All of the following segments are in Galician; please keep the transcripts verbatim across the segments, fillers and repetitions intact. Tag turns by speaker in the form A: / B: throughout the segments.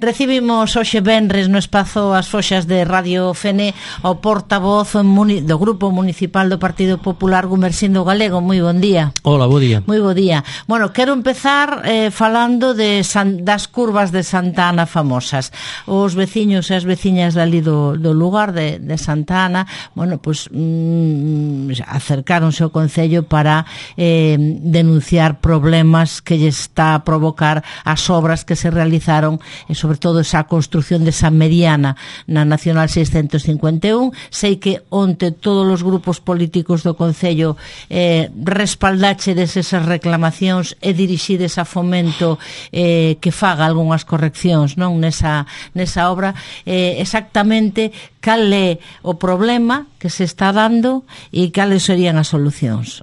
A: Recibimos hoxe venres no espazo As Foxas de Radio Fene ao portavoz do Grupo Municipal do Partido Popular, Gumersindo Galego. Moi bon día.
B: Hola, bo día.
A: Moi bo día. Bueno, quero empezar eh, falando de San, das curvas de Santa Ana famosas. Os veciños e as veciñas dali do, do lugar de, de Santa Ana, bueno, pues mm, acercáronse ao Concello para eh, denunciar problemas que lle está a provocar as obras que se realizaron e sobre todo esa construción desa mediana na Nacional seiscentos cincuenta e un. Sei que onte todos os grupos políticos do Concello eh, respaldachedes esas reclamacións e dirixides a Fomento eh, que faga algunhas correccións, non, nesa, nesa obra. Eh, exactamente cal é o problema que se está dando e cales serían as solucións?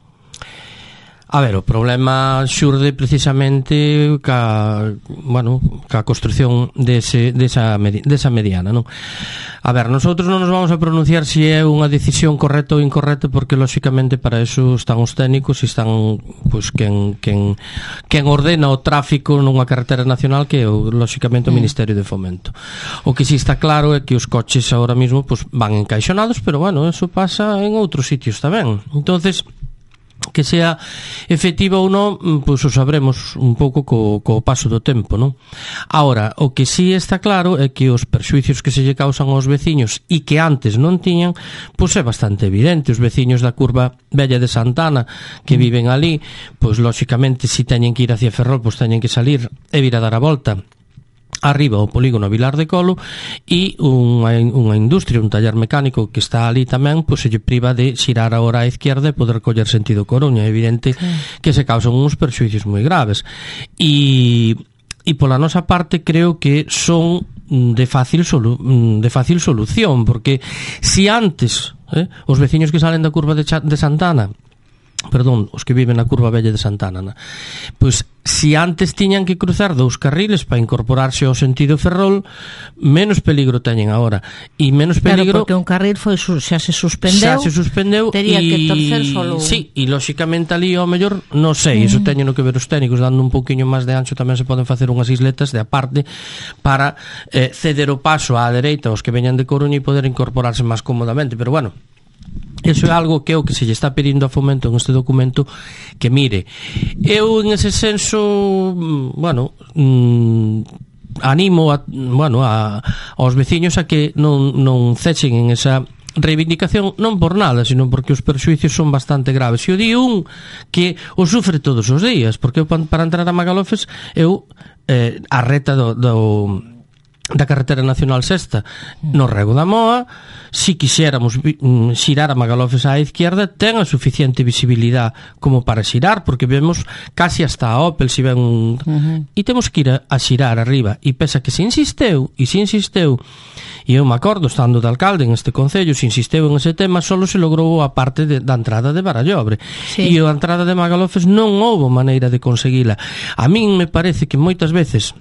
B: A ver, o problema xurde precisamente ca, bueno, ca construción dese, desa, desa mediana, non? A ver, nosotros non nos vamos a pronunciar se é unha decisión correcta ou incorrecta, porque lóxicamente para eso están os técnicos e están, pois, quen, quen, quen ordena o tráfico nunha carretera nacional, que é lóxicamente o Ministerio de Fomento. O que si está claro é que os coches agora mesmo, pois, van encaixonados, pero bueno, eso pasa en outros sitios tamén. Entonces, que sea efectiva ou non, pois o sabremos un pouco co, co paso do tempo, non? Ahora, o que sí está claro é que os perxuicios que se lle causan aos veciños e que antes non tiñan, pois é bastante evidente. Os veciños da curva Vella de Santa Ana que viven ali, pois lóxicamente se teñen que ir hacia Ferrol, pois teñen que salir e vir a dar a volta arriba ao polígono Vilar de Colo, e unha, unha industria, un taller mecánico que está ali tamén, pois se lle priva de xirar agora á izquierda e poder coller sentido Coruña. É evidente sí. que se causan uns perxuicios moi graves, e, e pola nosa parte creo que son de fácil solu, de fácil solución, porque si antes eh, os veciños que salen da curva de, de Santana, perdón, os que viven na curva Vella de Santana, pois si antes tiñan que cruzar dous carriles para incorporarse ao sentido Ferrol, menos peligro teñen agora, e menos peligro,
A: claro, porque un carril foi, xa se suspendeu,
B: xa se suspendeu
A: tería
B: y,
A: que torcer solo.
B: Sí, e lóxicamente ali ao mellor, non sei, mm. iso teñen que ver os técnicos, dando un pouquiño máis de ancho tamén se poden facer unhas isletas de aparte para eh, ceder o paso á dereita aos que veñan de Coruña e poder incorporarse máis cómodamente, pero bueno, eso é algo que é o que se lle está pedindo a Fomento en este documento, que mire. Eu en ese senso, bueno, mmm, animo a, bueno, a, aos veciños a que non, non cechen en esa reivindicación, non por nada, sino porque os perxuicios son bastante graves. E o di un que o sufre todos os días, porque eu, para entrar a Magalofes, eu eh, a reta do, do da carretera nacional sexta no Rego da Moa, si quixéramos xirar a Magalofes á izquierda, ten a suficiente visibilidade como para xirar, porque vemos casi hasta a Opel si ven un... Uh-huh. E temos que ir a, a xirar arriba, e pesa que se insisteu e se insisteu, e eu me acordo estando de alcalde en este concello, se insisteu en ese tema, solo se logrou a parte de, da entrada de Barallobre, sí. E a entrada de Magalofes non houbo maneira de conseguila. A min me parece que moitas veces,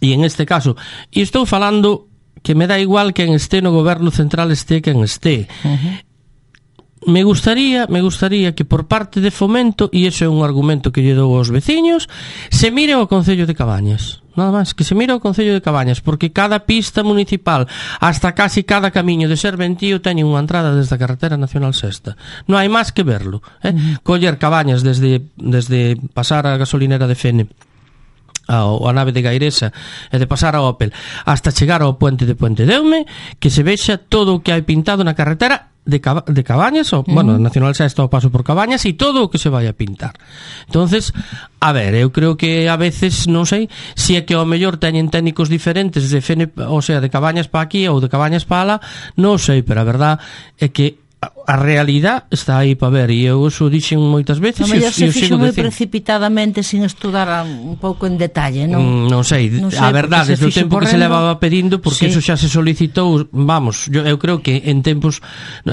B: e en este caso, e estou falando que me dá igual que en este no goberno central este que en este, uh-huh. me gustaría me gustaría que por parte de Fomento, e iso é un argumento que lle dou aos veciños, se mire ao Concello de Cabañas, nada máis, que se mire ao Concello de Cabañas, porque cada pista municipal, hasta casi cada camiño de Serventío, teñen unha entrada desde a carretera nacional sexta. Non hai máis que verlo, eh? Uh-huh. Coller Cabañas desde, desde pasar a gasolinera de Fene a, a nave de Gairesa e de pasar a Opel hasta chegar ao puente de Puente Deume, que se vexa todo o que hai pintado na carretera de, Cab- de Cabañas, ou, uh-huh. bueno, Nacional Sexta o paso por Cabañas, e todo o que se vai a pintar. Entonces, a ver, eu creo que a veces, non sei, se é que ao mellor teñen técnicos diferentes de Fene, o sea, de Cabañas para aquí ou de Cabañas para lá, non sei, pero a verdad é que a realidade está aí para ver, e eu eso dixen moitas veces,
A: e eu se fixo moi precipitadamente sin estudar un pouco en detalle, non?
B: Mm, non sei, non sei, a verdade, desde o tempo correndo, que se levaba pedindo, porque sí. Eso xa se solicitou, vamos, yo, eu creo que en tempos,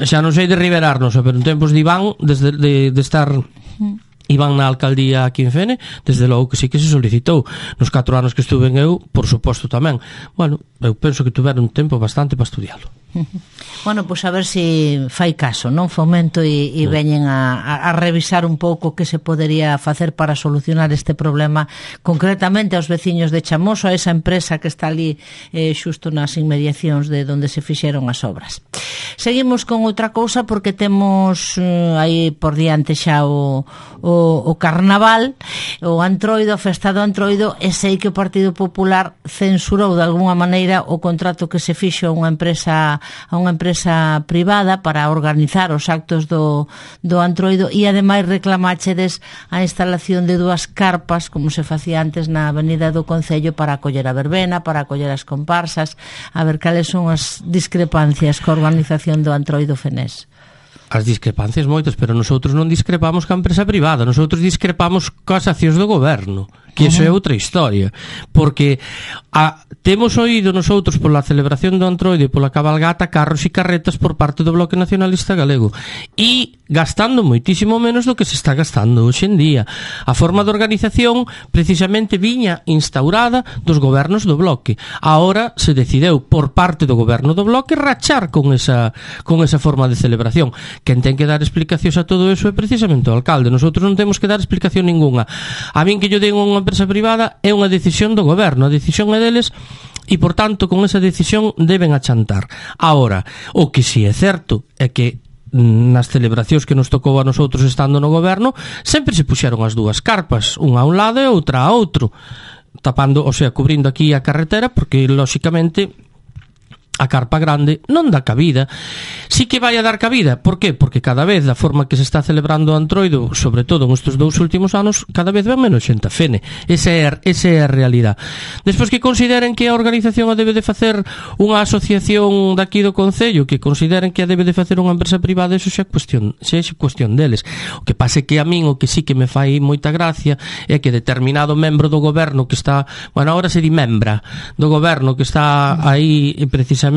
B: xa non sei de Riberarnos, pero en tempos de Iván, desde de, de estar... Mm. Iván na alcaldía aquí en Fene, desde logo que sí que se solicitou. Nos catro anos que estuve en eu, por suposto tamén. Bueno, eu penso que tuveron un tempo bastante para estudialo.
A: Bueno, pois pues a ver se si fai caso, non? Fomento e, e veñen a, a, a revisar un pouco que se podería facer para solucionar este problema, concretamente aos veciños de Chamoso, a esa empresa que está ali eh, xusto nas inmediacións de onde se fixeron as obras. Seguimos con outra cousa porque temos eh, aí por diante xa o, o, o carnaval, o Antroido, a festa do Antroido, e sei que o Partido Popular censurou de alguna maneira o contrato que se fixo a unha empresa a unha empresa privada para organizar os actos do, do Antroido, e ademais reclamáchedes a instalación de dúas carpas como se facía antes na Avenida do Concello para acoller a verbena, para acoller as comparsas. A ver cales son as discrepancias coa organización do Antroido Fenés.
B: As discrepancias moitas, pero nosotros non discrepamos ca empresa privada, nosotros discrepamos coas accións do goberno, que iso é outra historia, porque a, temos oído nosotros pola celebración do Antroido e pola cabalgata carros e carretas por parte do Bloque Nacionalista Galego, e gastando moitísimo menos do que se está gastando hoxe en día. A forma de organización precisamente viña instaurada dos gobernos do Bloque. Ahora se decideu por parte do goberno do Bloque rachar con esa, con esa forma de celebración. Quen ten que dar explicacións a todo eso é precisamente o alcalde. Nosotros non temos que dar explicación ninguna. A min que yo den unha empresa privada é unha decisión do goberno, a decisión é deles, e por tanto con esa decisión deben achantar. Ahora, o que si é certo é que nas celebracións que nos tocou a nosotros estando no goberno sempre se puxeron as dúas carpas, unha a un lado e outra a outro, tapando, o sea, cubrindo aquí a carretera, porque lóxicamente a carpa grande non dá cabida. Sí que vai a dar cabida, por qué? Porque cada vez da forma que se está celebrando o Antroido, sobre todo nestes dous últimos anos, cada vez ven menos xente a Fene. Esa é, esa é a realidade. Despois que consideren que a organización a debe de facer unha asociación daqui do Concello, que consideren que a debe de facer unha empresa privada, eso xa é cuestión, xa é cuestión deles. O que pase que a min o que sí que me fai moita gracia é que determinado membro do goberno que está, bueno, agora se di membra do goberno que está aí precisamente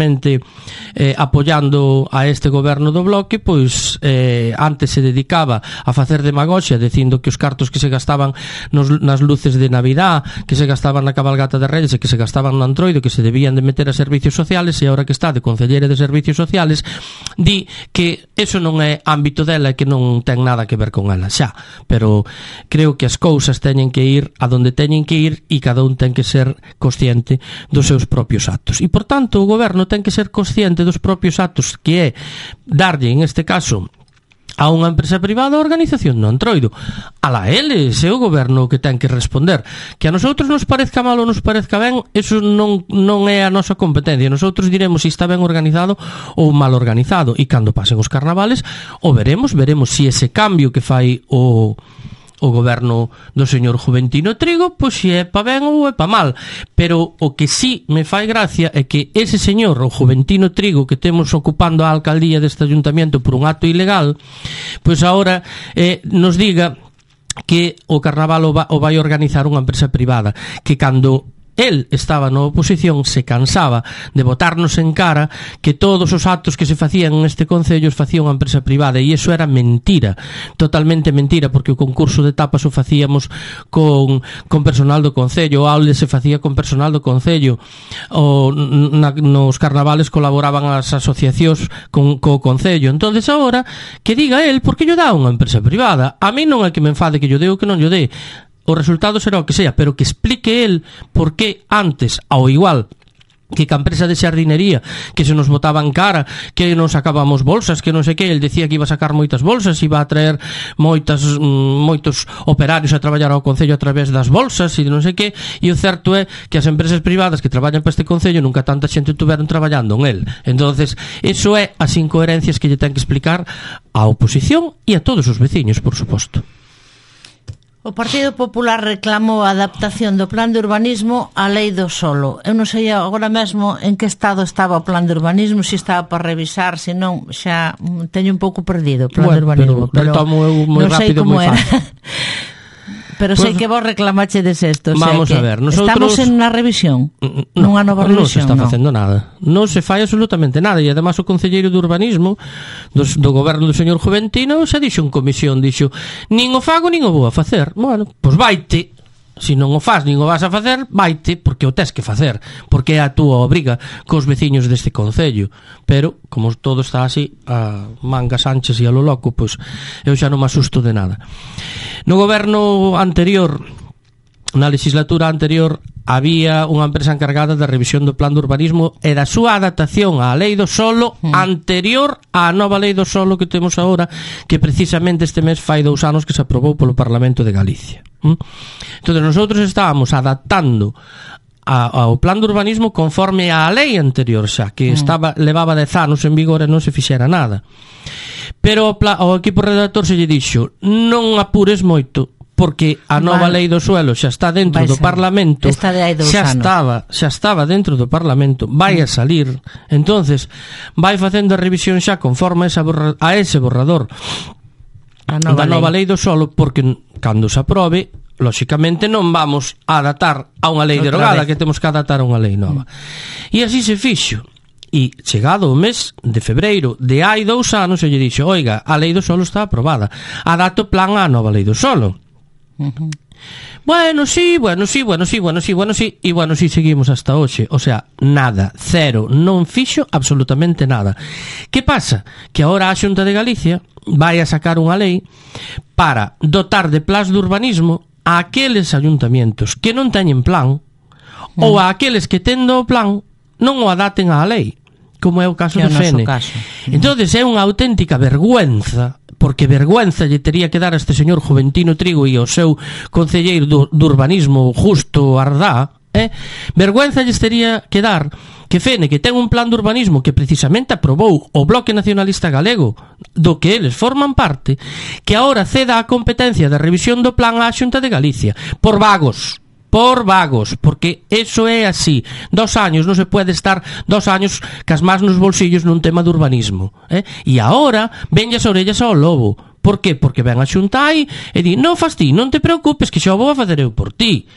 B: Eh, apoiando a este goberno do Bloque, pois eh, antes se dedicaba a facer demagoxia dicindo que os cartos que se gastaban nos, nas luces de Navidad, que se gastaban na cabalgata de Reyes e que se gastaban no Antroido, que se debían de meter a servicios sociales, e agora que está de concelleira de servicios sociales di que eso non é ámbito dela e que non ten nada que ver con ela xa, pero creo que as cousas teñen que ir a donde teñen que ir e cada un ten que ser consciente dos seus propios actos, e por tanto o goberno ten que ser consciente dos propios actos, que é darlle, en este caso, a unha empresa privada a organización do Antroido. Alá eles, é o goberno que ten que responder. Que a nosotros nos parezca mal ou nos parezca ben, eso non, non é a nosa competencia. Nosotros diremos se está ben organizado ou mal organizado, e cando pasen os carnavales o veremos, veremos se ese cambio que fai o o goberno do señor Juventino Trigo, pois se é pa ben ou é pa mal. Pero o que sí me fai gracia é que ese señor, o Juventino Trigo, que temos ocupando a alcaldía deste ayuntamiento por un acto ilegal, pois agora eh, nos diga que o carnaval o, va, o vai organizar unha empresa privada, que cando el estaba na oposición se cansaba de botarnos en cara que todos os actos que se facían neste concello os facía unha empresa privada, e iso era mentira, totalmente mentira, porque o concurso de tapas o facíamos con, con personal do concello, o aule se facía con personal do concello, o, na, nos carnavales colaboraban as asociacións con, co concello. Entonces agora que diga el por que lle dá unha empresa privada. A mí non é que me enfade que lle dé ou que non lle dé, o resultado será o que sea, pero que explique el por que antes, ao igual que ca empresa de xardinería que se nos botaban cara, que non sacábamos bolsas, que non sei que, el decía que iba a sacar moitas bolsas, iba a traer moitas, moitos operarios a traballar ao concello a través das bolsas e non sei que, e o certo é que as empresas privadas que traballan para este concello nunca tanta xente tuveron traballando en el. Entonces, eso é as incoherencias que lle ten que explicar á oposición e a todos os veciños, por suposto.
A: O Partido Popular reclamou a adaptación do plan de urbanismo á lei do solo. Eu non sei agora mesmo en que estado estaba o plan de urbanismo, se estaba para revisar, se non, xa teño un pouco perdido o plan
B: bueno,
A: de urbanismo.
B: Pero, pero retomo eu moi rápido, moi fácil.
A: Pero sei pues, que vos reclamachedes esto, o sea,
B: vamos
A: que
B: a ver, nosotros
A: estamos en unha revisión,
B: no,
A: nunha nova revisión.
B: Non se está facendo no. nada, non se fai absolutamente nada, e además o concelleiro de urbanismo dos, do goberno do señor Juventino xa dixo en comisión, dixo, nin o fago nin o vou a facer. Bueno, pois vaite, se non o faz nin o vas a facer, vaite porque o tes que facer, porque é a túa obriga cos veciños deste concello. Pero, como todo está así, a mangas anchas e a lo loco, pois eu xa non me asusto de nada. No goberno anterior, na legislatura anterior, había unha empresa encargada da revisión do plan de urbanismo e da súa adaptación á lei do solo mm. anterior á nova lei do solo que temos agora, que precisamente este mes fai dous anos que se aprobou polo Parlamento de Galicia. Mm? Entón, nosotros estábamos adaptando a, ao plan de urbanismo conforme á lei anterior xa, que mm. estaba levaba dez anos en vigor e non se fixera nada. Pero o, pla, o equipo redactor se lle dixo: non apures moito, porque a nova vale. lei do suelo xa está dentro do Parlamento,
A: de
B: xa
A: anos.
B: estaba, xa estaba dentro do Parlamento, vai a salir, entonces vai facendo a revisión xa conforme a ese, borra, a ese borrador a nova da nova lei. lei do suelo, porque cando se aprobe, lóxicamente non vamos a adaptar a unha lei Outra derogada, vez. que temos que adaptar a unha lei nova. Mm. E así se fixo. E chegado o mes de febreiro de hai dous anos, se lle dixo: oiga, a lei do solo está aprobada, adapto o plan á nova lei do solo. Uh-huh. Bueno, sí, bueno, sí, bueno, sí, bueno, sí, bueno, sí, e bueno, sí, seguimos hasta hoxe. O sea, nada, cero, non fixo absolutamente nada. Que pasa? Que agora a Xunta de Galicia vai a sacar unha lei para dotar de plans de urbanismo a aqueles ayuntamientos que non teñen plan, uh-huh. ou a aqueles que tendo o plan non o adapten á lei, como é o caso
A: que
B: de Fene.
A: Uh-huh.
B: Entonces é unha auténtica vergüenza, porque vergüenza lle tería que dar a este señor Juventino Trigo e ao seu concelleiro do, do urbanismo Justo Ardá, eh? vergüenza lle tería que dar que Fene, que ten un plan de urbanismo que precisamente aprobou o Bloque Nacionalista Galego, do que eles forman parte, que agora ceda a competencia da revisión do plan á Xunta de Galicia, por vagos. Por vagos, porque eso é así. Dos años, non se pode estar dos años cas más nos bolsillos nun tema de urbanismo, eh? E agora ven as orellas ao lobo. Por que? Porque ven a xuntai e di: non fas ti, non te preocupes, que xa o vou a facer eu por ti.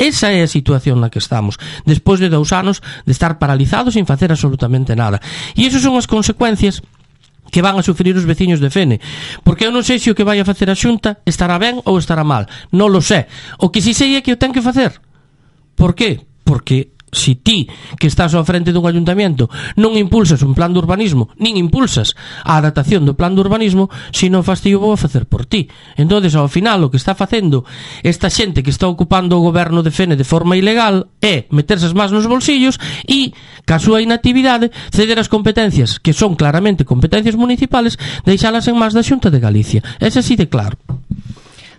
B: Esa é a situación na que estamos, despois de dous anos de estar paralizados sin facer absolutamente nada. E iso son as consecuencias que van a sufrir os veciños de Fene, porque eu non sei se o que vai a facer a Xunta estará ben ou estará mal, non lo sé. O que si sei é que o ten que facer. Por qué? Porque si ti, que estás ao frente dun ayuntamiento, non impulsas un plan de urbanismo, nin impulsas a adaptación do plan de urbanismo, se non fas ti o vou a facer por ti. Entonces, ao final, o que está facendo esta xente que está ocupando o goberno de Fene de forma ilegal é meterse as más nos bolsillos e, ca súa inactividade, ceder as competencias, que son claramente competencias municipales, deixalas en más da Xunta de Galicia. É así de claro.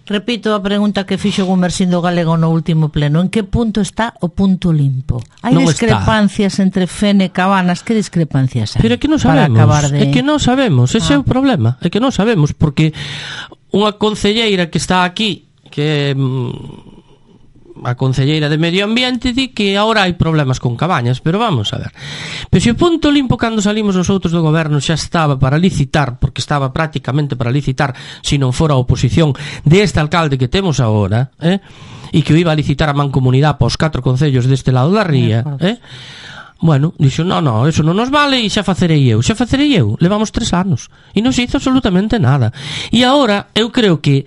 A: Repito a pregunta que fixo Gumersindo Galego no último pleno: en que punto está o punto limpo? Hai non discrepancias está. entre Fene e Cabanas. Que discrepancias hai?
B: Pero é que non sabemos, de... é que non sabemos, ese ah. é o problema, é que non sabemos, porque unha concelleira que está aquí, que a concelleira de Medio Ambiente, di que agora hai problemas con Cabañas, pero vamos a ver. Pero se o punto limpo, cando salimos os outros do goberno, xa estaba para licitar, porque estaba prácticamente para licitar, se non fora a oposición deste alcalde que temos agora, eh? e que o iba a licitar a mancomunidade para os catro concellos deste lado da ría, eh? Bueno, dixo: no, no, eso non nos vale e xa facerei eu, xa facerei eu. Levamos tres anos e non se hizo absolutamente nada. E agora eu creo que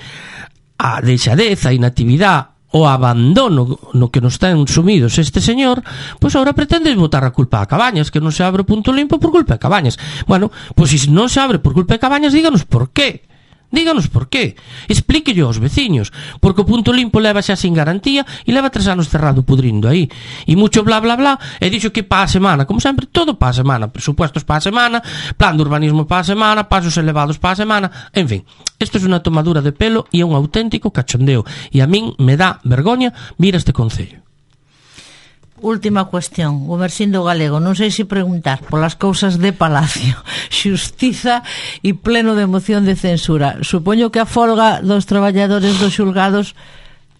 B: a deixadez, a inactividade, o abandono no que nos ten sumidos este señor, pois agora pretende botar a culpa a Cabañas, que non se abre o punto limpo por culpa de Cabañas. Bueno, pois se non se abre por culpa de Cabañas, díganos por qué. Díganos por qué. Explíquelle aos veciños, porque o punto limpo leva xa sin garantía e leva tres anos cerrado pudrindo aí. E mucho bla bla bla, e dixo que pa a semana, como sempre, todo pa a semana, presupuestos pa a semana, plan de urbanismo pa a semana, pasos elevados pa a semana, en fin. Isto é unha tomadura de pelo e é un auténtico cachondeo. E a min me dá vergoña vir a este concello.
A: Última cuestión, Gumersindo Galego, non sei se preguntar polas cousas de Palacio, xustiza e pleno de moción de censura. Supoño que a folga dos traballadores dos xulgados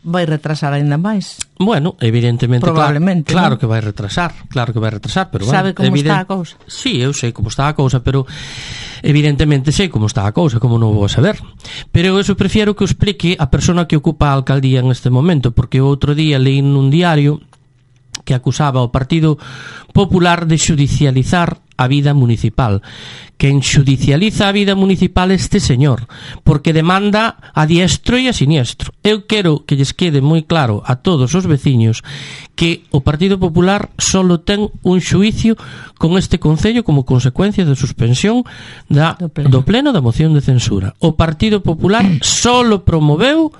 A: vai retrasar ainda máis.
B: Bueno, evidentemente,
A: probablemente,
B: claro, claro
A: ¿no?
B: que vai retrasar, claro que vai retrasar, pero
A: sabe
B: bueno,
A: como evident... está a cousa?
B: Sí, eu sei como está a cousa, pero evidentemente sei como está a cousa, como non vou a saber. Pero eu eso prefiero que o explique a persona que ocupa a alcaldía en este momento, porque o outro día leí nun diario que acusaba ao Partido Popular de xudicializar a vida municipal. Quen xudicializa a vida municipal este señor, porque demanda a diestro e a siniestro. Eu quero que lles quede moi claro a todos os veciños que o Partido Popular solo ten un xuicio con este Concello como consecuencia da suspensión da, do, pleno. do pleno da moción de censura. O Partido Popular solo promoveu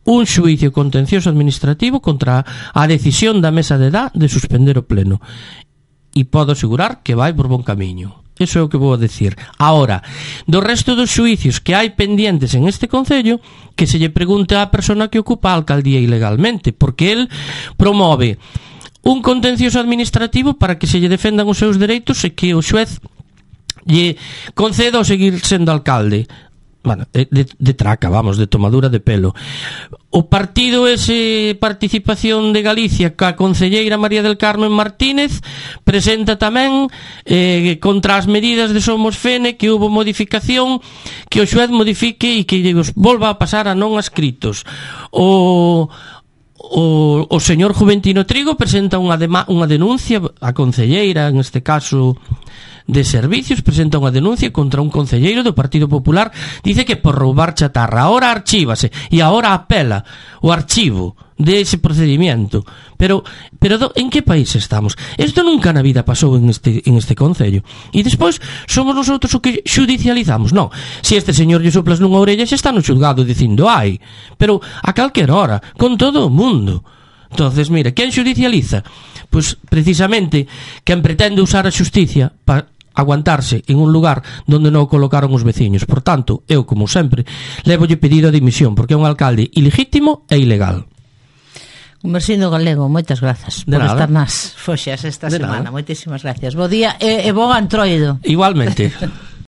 B: un xuicio contencioso administrativo contra a decisión da mesa de edad de suspender o pleno. E podo asegurar que vai por bon camiño. Eso é o que vou a decir. Ahora, do resto dos xuicios que hai pendientes en este Concello, que se lle pregunte á persona que ocupa a alcaldía ilegalmente, porque el promove un contencioso administrativo para que se lle defendan os seus dereitos e que o xuez lle conceda o seguir sendo alcalde. Bueno, de, de traca, vamos, de tomadura de pelo. O partido ese Participación de Galicia ca concelleira María del Carmen Martínez presenta tamén eh, contra as medidas de Somos Fene que hubo modificación, que o xuez modifique e que os volva a pasar a non adscritos. O O, o señor Juventino Trigo presenta unha, dema, unha denuncia a concelleira, en este caso de servicios, presenta unha denuncia contra un concelleiro do Partido Popular, dice que por roubar chatarra. Ahora archívase e ahora apela o archivo de ese procedimiento. Pero, pero do, en que país estamos? Isto nunca na vida pasou en este, en este concello. E despois somos nosotros o que xudicializamos. Non, se este señor lle soplas nunha orella xa está no xulgado dicindo ai, pero a calquer hora, con todo o mundo. Entonces, mira, quen xudicializa? Pois precisamente quen pretende usar a xusticia para aguantarse en un lugar donde non o colocaron os veciños. Por tanto, eu, como sempre, levolle pedido a dimisión, porque é un alcalde ilegítimo e ilegal.
A: Conversindo Galego, moitas grazas por estar nas foxas esta semana. Moitísimas gracias. Bo día e, e bo antroido.
B: Igualmente.